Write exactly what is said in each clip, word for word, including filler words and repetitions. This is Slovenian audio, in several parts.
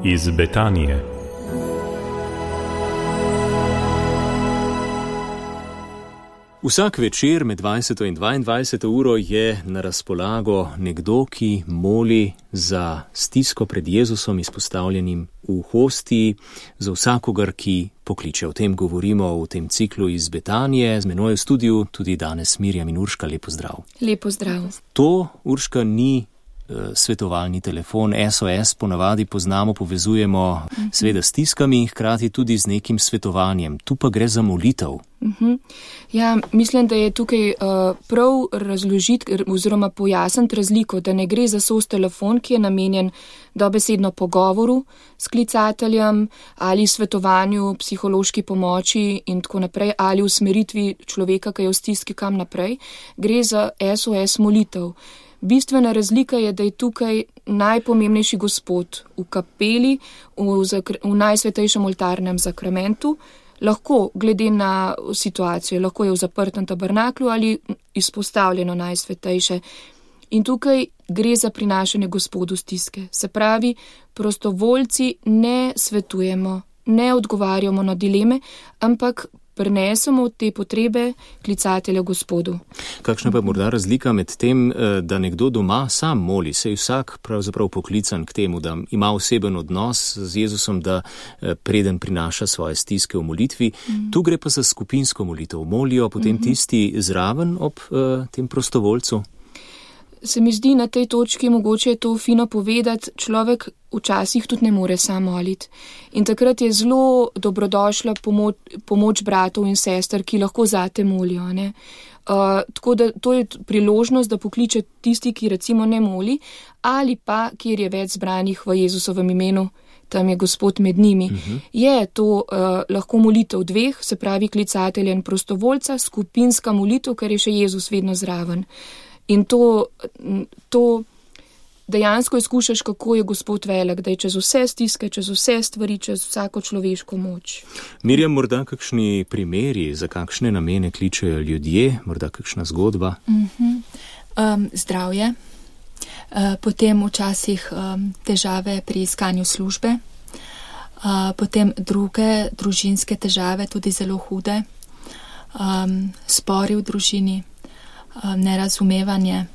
Iz Betanije. Vsak večer med dvajseto in dvaindvajseto uro je na razpolago nekdo, ki moli za stisko pred Jezusom izpostavljenim v hostiji, za vsakogar, ki pokliče. O tem govorimo v tem ciklu iz Betanije. Z menoj v studiu tudi danes Mirjam in Urška. Lepo zdrav. Lepo zdrav. To, Urška, ni svetovalni telefon, S O S ponavadi poznamo, povezujemo uh-huh. seveda s stiskami, hkrati tudi z nekim svetovanjem. Tu pa gre za molitev. Uh-huh. Ja, mislim, da je tukaj uh, prav razložiti oziroma pojasniti razliko, da ne gre za S O S telefon, ki je namenjen dobesedno pogovoru s klicateljem ali svetovanju, psihološki pomoči in tako naprej, ali usmeritvi človeka, ki je v stiski kam naprej. Gre za S O S molitev. Bistvena razlika je, da je tukaj najpomembnejši Gospod v kapeli, v, zakr- v najsvetejšem oltarnem zakramentu, lahko glede na situacijo, lahko je v zaprtem tabernaklu ali izpostavljeno najsvetejše. In tukaj gre za prinašanje Gospodu stiske. Se pravi, prostovoljci ne svetujemo, ne odgovarjamo na dileme, ampak prinesemo te potrebe klicatelja Gospodu. Kakšna pa je morda razlika med tem, da nekdo doma sam moli, se je vsak pravzaprav poklican k temu, da ima oseben odnos z Jezusom, da preden prinaša svoje stiske v molitvi. Mm. Tu gre pa za skupinsko molitev. Molijo potem mm-hmm. tisti zraven ob uh, tem prostovoljcu? Se mi zdi na tej točki mogoče je to fino povedati, človek včasih tudi ne more sam moliti. In takrat je zelo dobrodošla pomoč, pomoč bratov in sester, ki lahko zate molijo. Ne? Uh, tako da to je priložnost, da pokliče tisti, ki recimo ne moli, ali pa, kjer je več zbranih v Jezusovem imenu, tam je Gospod med njimi. Uh-huh. Je to uh, lahko molitev dveh, se pravi klicatelja in prostovoljca, skupinska molitev, ker je še Jezus vedno zraven. In to, to dejansko izkušaš, kako je Gospod velik, da je čez vse stiske, čez vse stvari, čez vsako človeško moč. Mirjam, morda kakšni primeri, za kakšne namene kličejo ljudje, morda kakšna zgodba? Uh-huh. Um, zdravje, uh, potem včasih um, težave pri iskanju službe, uh, potem druge družinske težave, tudi zelo hude, um, spori v družini, nerazumevanje.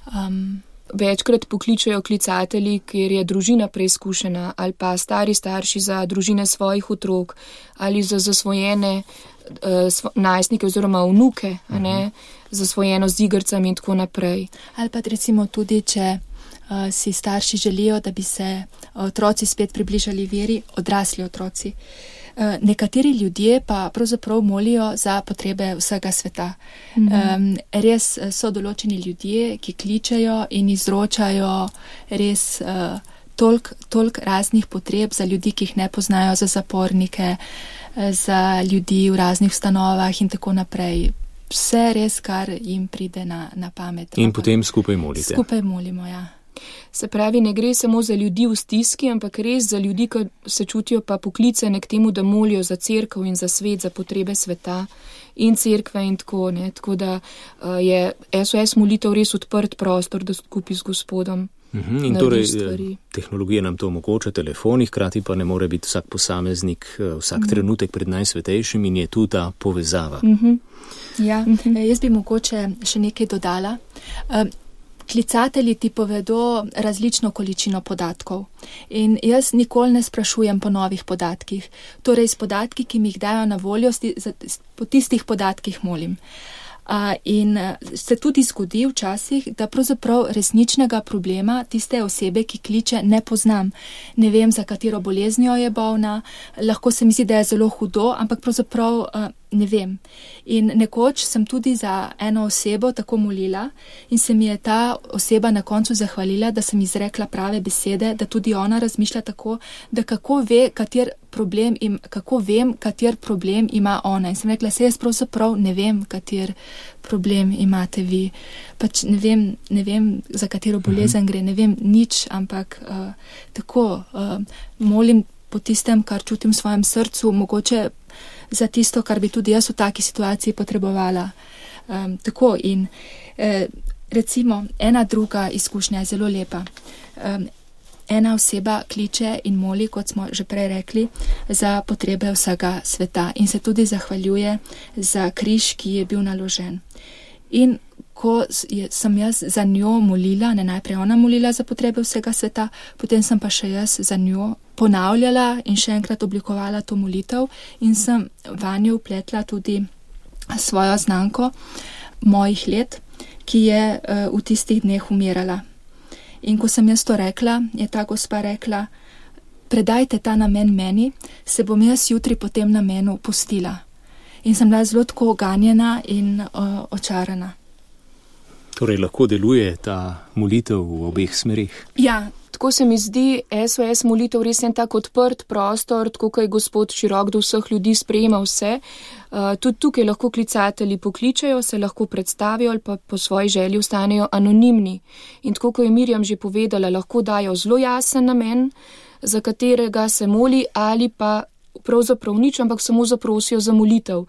Um, Večkrat pokličajo klicatelji, kjer je družina preizkušena, ali pa stari starši za družine svojih otrok, ali za zasvojene uh, svo, najstnike oziroma vnuke, uh-huh. a ne, zasvojeno z igrcami in tako naprej. Ali pa recimo tudi, če uh, si starši želijo, da bi se otroci spet približali veri, odrasli otroci. Nekateri ljudje pa pravzaprav molijo za potrebe vsega sveta. Mm-hmm. Um, res so določeni ljudje, ki kličejo in izročajo res uh, toliko tolk raznih potreb za ljudi, ki jih ne poznajo, za zapornike, za ljudi v raznih ustanovah in tako naprej. Vse res, kar jim pride na, na pamet. In potem skupaj molite. Skupaj molimo, ja. Se pravi, ne gre samo za ljudi v stiski, ampak res za ljudi, ki se čutijo pa poklicane k temu, da molijo za cerkev in za svet, za potrebe sveta in cerkve in tako, ne. Tako da uh, je S O S molitev res odprt prostor, da skupaj z Gospodom uhum, in torej stvari. Tehnologija nam to omogoča, telefoni, hkrati pa ne more biti vsak posameznik, vsak uhum. trenutek pred najsvetejšim in je tu ta povezava. Uhum. Ja, uhum. Jaz bi mogoče še nekaj dodala. Um, Klicatelji ti povedo različno količino podatkov in jaz nikoli ne sprašujem po novih podatkih. Torej, s podatki, ki mi jih dajo na voljo, po tistih podatkih molim. Uh, in se tudi zgodi včasih, da pravzaprav resničnega problema tiste osebe, ki kliče, ne poznam. Ne vem, za katero boleznijo je bolna, lahko se mi zdi, da je zelo hudo, ampak pravzaprav uh, ne vem. In nekoč sem tudi za eno osebo tako molila in se mi je ta oseba na koncu zahvalila, da sem izrekla prave besede, da tudi ona razmišlja tako, da kako ve, kater problem im, kako vem, kater problem ima ona. In sem rekla, se jaz pravzaprav ne vem, kater problem imate vi. Pač ne vem, ne vem za katero bolezen gre, ne vem nič, ampak uh, tako uh, molim po tistem, kar čutim v svojem srcu, mogoče za tisto, kar bi tudi jaz v taki situaciji potrebovala. Um, tako in eh, recimo ena druga izkušnja je zelo lepa. Um, ena oseba kliče in moli, kot smo že prej rekli, za potrebe vsega sveta in se tudi zahvaljuje za križ, ki je bil naložen. In ko sem jaz za njo molila, ne najprej ona molila za potrebe vsega sveta, potem sem pa še jaz za njo ponavljala in še enkrat oblikovala to molitev in sem vanjo vpletla tudi svojo znanko mojih let, ki je uh, v tistih dneh umirala. In ko sem jaz to rekla, je ta gospa rekla, predajte ta namen meni, se bom jaz jutri po tem namenu pustila. In sem bila zelo tako oganjena in uh, očarana. Torej lahko deluje ta molitev v obeh smerih. Ja, tako se mi zdi S O S molitev res en tak odprt prostor, tako kot je Gospod širok do vseh ljudi, sprejema vse. Uh, tudi tukaj lahko klicatelji pokličajo, se lahko predstavijo ali pa po svoji želji ostanejo anonimni. In tako kot je Mirjam že povedala, lahko dajo zelo jasen namen, za katerega se moli, ali pa pravzaprav nič, ampak samo zaprosijo za molitev.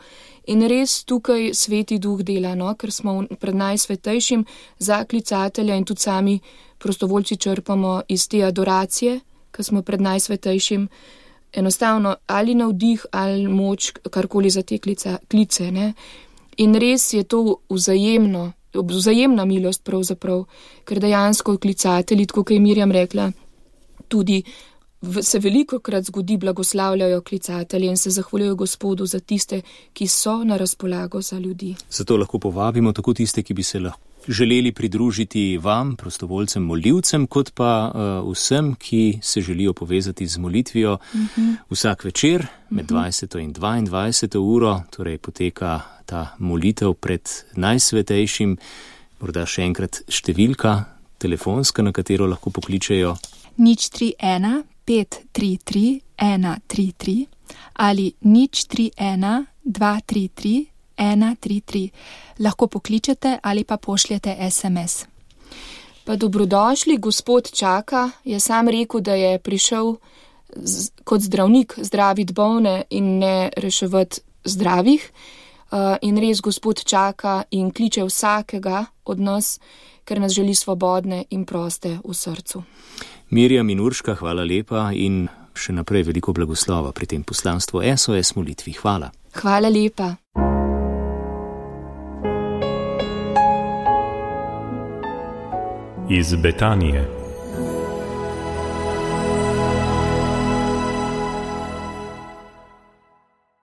In res tukaj Sveti Duh dela, no? Ker smo pred najsvetejšim za klicatelja in tudi sami prostovoljci črpamo iz te adoracije, ker smo pred najsvetejšim enostavno ali navdih ali moč, karkoli za te klica, klice. Ne? In res je to vzajemno, vzajemna milost pravzaprav, ker dejansko klicatelji, tako kot je Mirjam rekla, tudi se veliko krat zgodi, blagoslavljajo klicatelje in se zahvaljujo Gospodu za tiste, ki so na razpolago za ljudi. Zato lahko povabimo tako tiste, ki bi se lahko želeli pridružiti vam, prostovoljcem, molivcem, kot pa uh, vsem, ki se želijo povezati z molitvijo. Uh-huh. Vsak večer med dvajseto in dvaindvajseto uro, torej poteka ta molitev pred najsvetejšim. Morda še enkrat številka telefonska, na katero lahko pokličejo. nič tri ena pet tri tri ena tri tri ali nič tri ena dva tri tri ena tri tri. Lahko pokličete ali pa pošljete S M S. Pa dobrodošli, Gospod čaka, je sam rekel, da je prišel z, kot zdravnik zdraviti bolne in ne reševati zdravih. Uh, in res Gospod čaka in kliče vsakega od nas, ker nas želi svobodne in proste v srcu. Mirjam in Urška, hvala lepa in še naprej veliko blagoslova pri tem poslanstvu S O S molitvi. Hvala. Hvala lepa. Iz Betanije.